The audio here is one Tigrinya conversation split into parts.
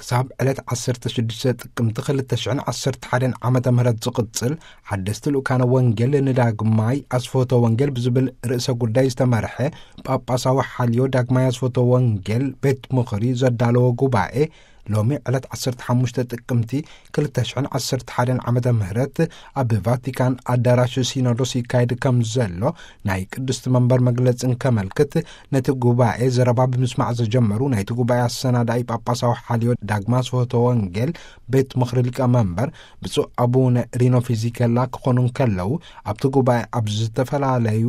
ክሳብ ዕለት ዓሰርተ ሽዱሽተ ጥቅምቲ ክልተ ሽሕን ዓሰርተ ሓደን ዓመተ ምህረት ዝቕጽል ሓደስቲ ልኡካነ ወንጌል ንዳግማይ ኣስፈቶ ወንጌል ብዝብል ርእሰ ጉዳይ ዝተመርሐ ጳጳሳዊ ሓልዮ ዳግማይ ኣስፈቶ ወንጌል ቤት ምኽሪ ዘዳለዎ ጉባኤ ሎሚ ዕለት ዓሰርተ ሓሙሽተ ጥቅምቲ ክልተ ሽሕን ዓሰርተ ሓደን ዓመተ ምህረት ኣብ ቫቲካን ኣዳራሽ ሲኖዶስ ይካየድ ከም ዘሎ ናይ ቅድስቲ መንበር መግለጽ እንከመልክት፣ ነቲ ጉባኤ ዘረባ ብምስማዕ ዘጀመሩ ናይቲ ጉባኤ ኣሰናዳኢ ጳጳሳዊ ሓልዮ ዳግማ ስወቶ ወንጌል ቤት ምኽሪ ሊቀ መንበር ብፁዕ ኣቡነ ሪኖ ፊዚከላ ክኾኑ እንከለዉ፣ ኣብቲ ጉባኤ ኣብ ዝተፈላለዩ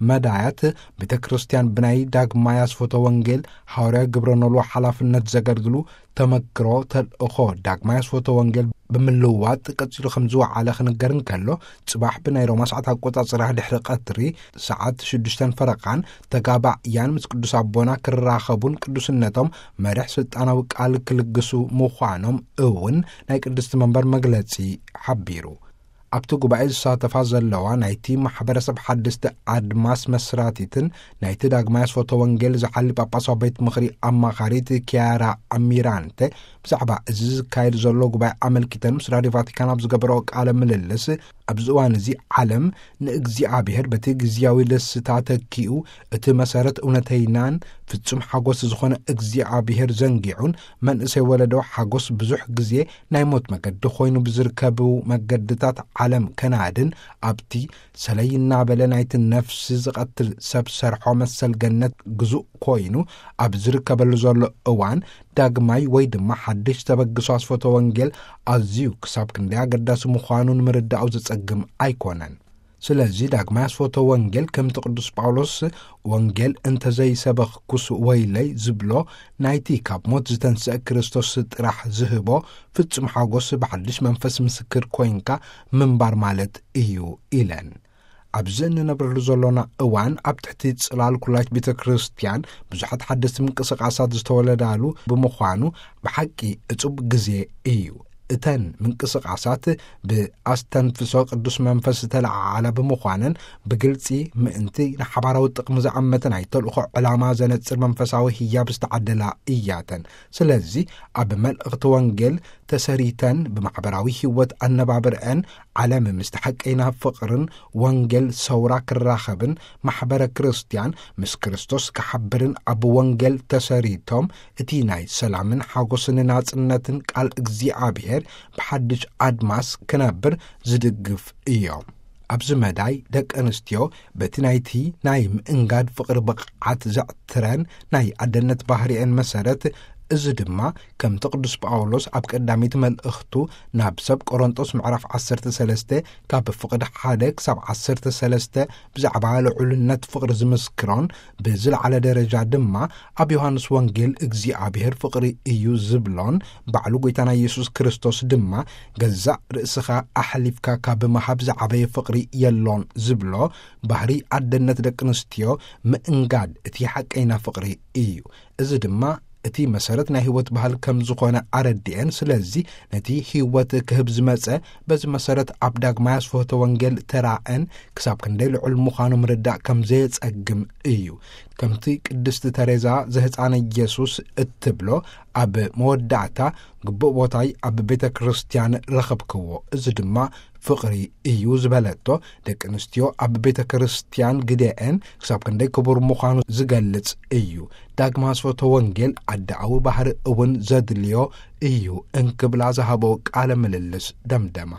መዳያት ቤተ ክርስቲያን ብናይ ዳግማይ ኣስፈቶ ወንጌል ሃዋርያ ግብረ ኖልዎ ሓላፍነት ዘገልግሉ ተመክሮ ተልእኾ ዳግማይ ኣስፈቶ ወንጌል ብምልዋጥ ቀጺሉ ከም ዝወዓለ ክንገር እንከሎ፣ ጽባሕ ብናይ ሮማ ሰዓት ኣቆጻጽራ ድሕሪ ቀትሪ ሰዓት ሽዱሽተን ፈረቓን ተጋባእያን ምስ ቅዱስ ኣቦና ክራኸቡን ቅዱስነቶም መሪሕ ስልጣናዊ ቃል ክልግሱ ምዃኖም እውን ናይ ቅድስቲ መንበር መግለጺ ሓቢሩ። ኣብቲ ጉባኤ ዝሳተፋ ዘለዋ ናይቲ ማሕበረሰብ ሓደስቲ ኣድማስ መስራቲትን ናይቲ ዳግማይ ኣስፈቶ ወንጌል ዝሓሊ ጳጳሳዊ ቤት ምኽሪ ኣማኻሪት ኪያራ ኣሚራንተ ብዛዕባ እዚ ዝካየድ ዘሎ ጉባኤ ኣመልኪተን ምስ ራድዮ ቫቲካን ኣብ ዝገበረኦ ቃለ ምልልስ፣ ኣብዚ እዋን እዚ ዓለም ንእግዚኣብሔር በቲ ግዝያዊ ደስታ ተኪኡ፣ እቲ መሰረት እውነተይናን ፍጹም ሓጎስ ዝኾነ እግዚኣብሔር ዘንጊዑን መንእሰይ ወለዶ ሓጎስ ብዙሕ ግዜ ናይ ሞት መገዲ ኮይኑ ብዝርከቡ መገድታት ዓለም ከናድን ኣብቲ ሰለይ እናበለ ናይቲ ነፍሲ ዝቐትል ሰብ ሰርሖ መሰል ገነት ግዙእ ኮይኑ ኣብ ዝርከበሉ ዘሎ እዋን ዳግማይ ወይ ድማ ሓድሽ ተበግሶ ኣስፈቶ ወንጌል ኣዝዩ ክሳብ ክንደይ ኣገዳሲ ምዃኑ ንምርዳኡ ዘጸግም ኣይኮነን። ስለዚ ዳግማይ ኣስፈቶ ወንጌል ከምቲ ቅዱስ ጳውሎስ "ወንጌል እንተዘይሰበኽኩስ ወይለይ" ዝብሎ ናይቲ ካብ ሞት ዝተንስአ ክርስቶስ ጥራሕ ዝህቦ ፍጹም ሓጎስ ብሓድሽ መንፈስ ምስክር ኮይንካ ምንባር ማለት እዩ ኢለን። ኣብዚ እንነብረሉ ዘሎና እዋን ኣብ ትሕቲ ጽላል ኩላይት ቤተ ክርስቲያን ብዙሓት ሓደስቲ ምንቅስቃሳት ዝተወለዳሉ ብምዃኑ ብሓቂ እጹብ ግዜ እዩ። እተን ምንቅስቃሳት ብኣስተንፍሶ ቅዱስ መንፈስ ዝተለዓዓላ ብምዃነን ብግልጺ ምእንቲ ንሓባራዊ ጥቕሚ ዝዓመተ ናይ ተልእኾ ዕላማ ዘነጽር መንፈሳዊ ህያብ ዝተዓደላ እያተን። ስለዚ ኣብ መልእኽቲ ወንጌል ተሰሪተን ብማሕበራዊ ህይወት ኣነባብርአን ዓለም ምስቲ ሓቀይና ፍቕርን ወንጌል ሰውራ ክራኸብን ማሕበረ ክርስቲያን ምስ ክርስቶስ ክሓብርን ኣብ ወንጌል ተሰሪቶም እቲ ናይ ሰላምን ሓጎስን ናጽነትን ቃል እግዚኣብሔር ብሓድሽ ኣድማስ ክነብር ዝድግፍ እዮም። ኣብዚ መዳይ ደቂ ኣንስትዮ በቲ ናይቲ ናይ ምእንጋድ ፍቕሪ ብቕዓት ዘዕትረን ናይ ኣደነት ባህሪኤን መሰረት፣ እዚ ድማ ከምቲ ቅዱስ ጳውሎስ ኣብ ቀዳመይቲ መልእኽቱ ናብ ሰብ ቆሮንጦስ ምዕራፍ ዓሰርተ ሰለስተ ካብ ፍቕዲ ሓደ ክሳብ ዓሰርተ ሰለስተ ብዛዕባ ልዑልነት ፍቕሪ ዝምስክሮን ብዝለዓለ ደረጃ ድማ ኣብ ዮሃንስ ወንጌል እግዚኣብሔር ፍቕሪ እዩ ዝብሎን ባዕሉ ጐይታና ኢየሱስ ክርስቶስ ድማ ገዛእ ርእስኻ ኣሕሊፍካ ካብ ምሃብ ዝዓበየ ፍቕሪ የሎን ዝብሎ ባህሪ ኣደነት ደቂ ኣንስትዮ ምእንጋድ እቲ ሓቀይና ፍቕሪ እዩ። እዚ ድማ እቲ መሰረት ናይ ህይወት ባህል ከም ዝኾነ ኣረዲኤን፣ ስለዚ ነቲ ህይወት ክህብ ዝመጸ በዚ መሰረት ኣብ ዳግማይ ኣስፍሆተ ወንጌል ተራእን ክሳብ ክንደይ ልዑል ምዃኑ ምርዳእ ከም ዘየጸግም እዩ። ከምቲ ቅድስቲ ተሬዛ ዘህፃነ ኢየሱስ እትብሎ፣ ኣብ መወዳእታ ግቡእ ቦታይ ኣብ ቤተ ክርስቲያን ረኸብክዎ፣ እዚ ድማ ፍቕሪ እዩ ዝበለቶ፣ ደቂ ኣንስትዮ ኣብ ቤተ ክርስቲያን ግደአን ክሳብ ክንደይ ክቡር ምዃኑ ዝገልጽ እዩ። ዳግማ ኣስፍሆተ ወንጌል ኣደኣዊ ባህሪ እውን ዘድልዮ እዩ እንክብላ ዝሃቦ ቃለ ምልልስ ደምደማ።